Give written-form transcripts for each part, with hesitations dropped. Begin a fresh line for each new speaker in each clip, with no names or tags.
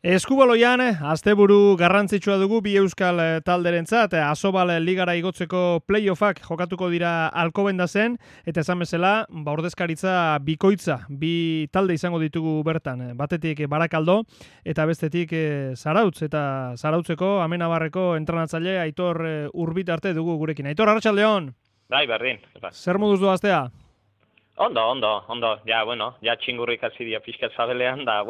Eskubaloian, asteburu garrantzitsua dugu bi euskal talderentzat, Asobal ligara igotzeko playoffak jokatuko dira Alcobendasen, eta esan bezala, ordezkaritza bikoitza, bi talde izango ditugu bertan, batetik Barakaldo, eta bestetik Zarautz, eta Zarautzeko Amenabarreko entrenatzaile Aitor Urbitarte dugu gurekin. Aitor, arratsaldeon.
Bai, berdin.
Zer moduz doaztea?
Ondo. Ja txingurrik hasi dia pixka zabelean, da,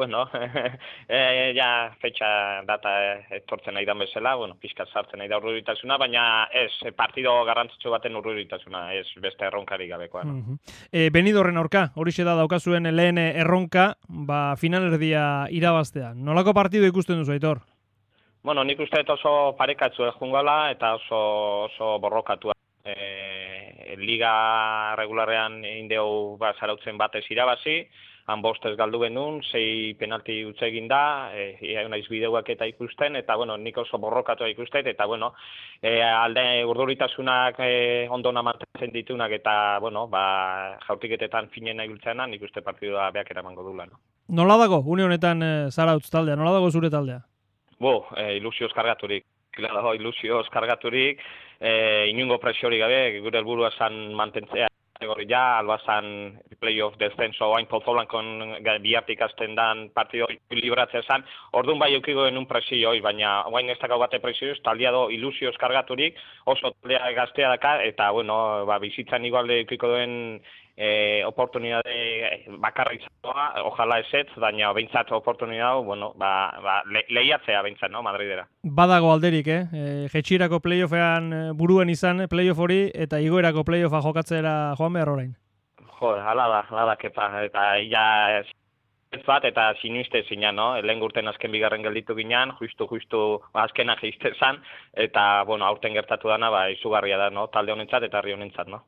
ja fetxa data etortzen nahi dan bezala, pixka sartzen nahi da urruritasuna, baina ez, partido garrantzitsu baten urruritasuna, ez beste erronkari gabekoa. No?
Benidorren aurka, horixe da daukazuen lehen erronka, finalerdia irabaztea. Nolako partido ikusten duzu, Aitor?
Nik uste oso parekatzu jungala eta oso borrokatua. Liga regularrean indeu Zarautzen batez irabazi, han bostez galdu genuen, 6 penalti utze egin da, naiz bideuak eta ikusten, eta nik oso borrokatua ikusten, eta alde urduritasunak ondona mantentzen ditunak, eta jaurtiketetan finen nahi biltzenan, nik uste partidua beak eramango dula. No?
Nola dago, une honetan Zarautz taldea, nola dago zure taldea?
Ilusioz kargaturik. Ilusioz kargaturik, inungo presiorik gabe, gure helburua zan mantentzea albazan playoff descenso oain Pozolankon bihartik azten dan partido libratzea zan, orduan bai eukigo genuen presioi, baina oain ez dakau bate presioz, taldea do ilusioz kargaturik, oso taldea gaztea daka, eta bizitzan igualde eukiko duen oportunidade bakarra izatea, ojala ezetz, baina behintzat oportunidade, lehiatzea behintzat, no, Madridera.
Badago alderik, jetxirako playoffean buruen izan, playoff hori, eta igoerako playoffa jokatzera joan behar orain.
Hala da, kepa, eta ez bat, eta sinuiste zinan, no? Lehen gurten azken bigarren gelditu ginean, justu azkena geizte zan, eta, aurten gertatu dana, izugarria da, no? Talde honentzat eta herri honentzat, no?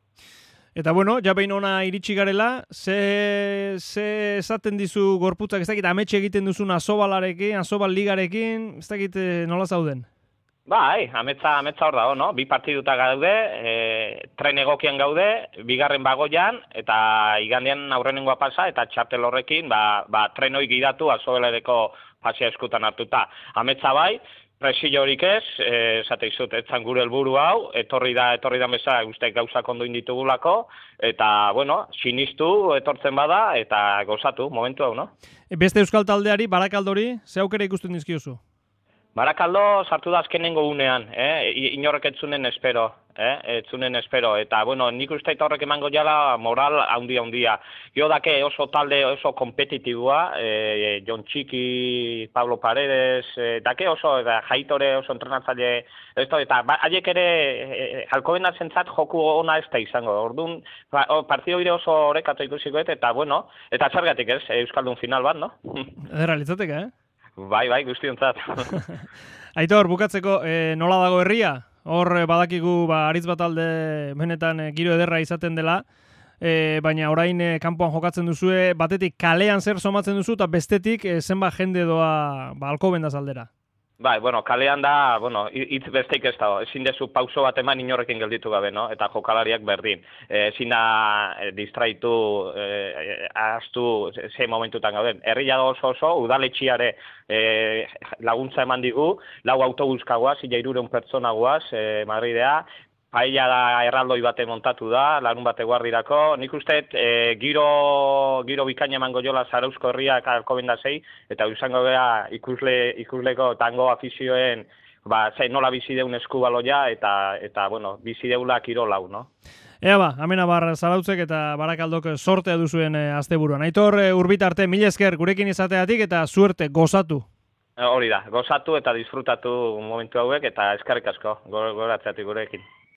Eta ja behin ona iritsi garela, ze esaten dizu gorputzak, ez dakit ametxe egiten duzun Asobal ligarekin, ez dakit nola zauden?
Bai, ametza hor dago, no? Bi partiduta gaude, tren egokian gaude, bigarren bagoian, eta igandean aurrenengoa pasa, eta txartel horrekin, tren hori gidatu Asobalereko pasia eskutan hartuta. Ametza bai, presio horik ez, esate izut, etzan gure helburu hau, etorri da bezala guztek gauzak ondo inditugulako, eta, sinistu etortzen bada, eta gozatu, momentu hau, no?
Beste euskal taldeari, Barakaldori, ze aukera ikusten dizkiozu?
Barakaldo sartu da azkenengo unean, inorrek etzunen espero, eta, nik uste eta horrek emango jala moral handia. Jo dake oso talde oso kompetitibua, Jon Txiki, Pablo Paredes, dake oso, Jaitore oso entrenatzaile, eta haiek ere Alcobendasentzat joku ona ez da izango, orduan, partido ire oso horrekatu ikusikoet, eta, eta zergatik ez, Euskaldun final bat, no?
Ederra litzateke,
Bai, guztiontzat.
Aitor, bukatzeko, nola dago herria? Hor badakigu aritz bat alde benetan giro ederra izaten dela, baina orain kanpoan jokatzen duzue, batetik kalean zer somatzen duzu, eta bestetik zenbat jende doa Alcobendaz aldera. Bai,
kalean da, hitz besteik ez dago, ezin dezu pauso bat eman inorrekin gelditu gabe, no? Eta jokalariak berdin. Ezin da distraitu, ahaztu ze momentutan gauden. Herria da oso, udaletxiare laguntza eman digu, 4 autobus kagoaz, 300 pertsona goaz, Madridea, paella da erraldoi bate montatu da, larun bate guardirako. Nik uste giro bikaina emango jola Zarauzko herriak Alcobendasei, eta izango gara ikusleko tango afizioen nola bizi deun eskubaloia, eta bizi deula kirolau, no?
Ea Amenabar Zarautzek eta Barakaldok sortea duzuen asteburuan. Aitor Urbitarte, mila esker gurekin izateatik eta suerte, gozatu.
Hori da, gozatu eta disfrutatu momentu hauek, eta eskerrik asko goratzeatik gurekin.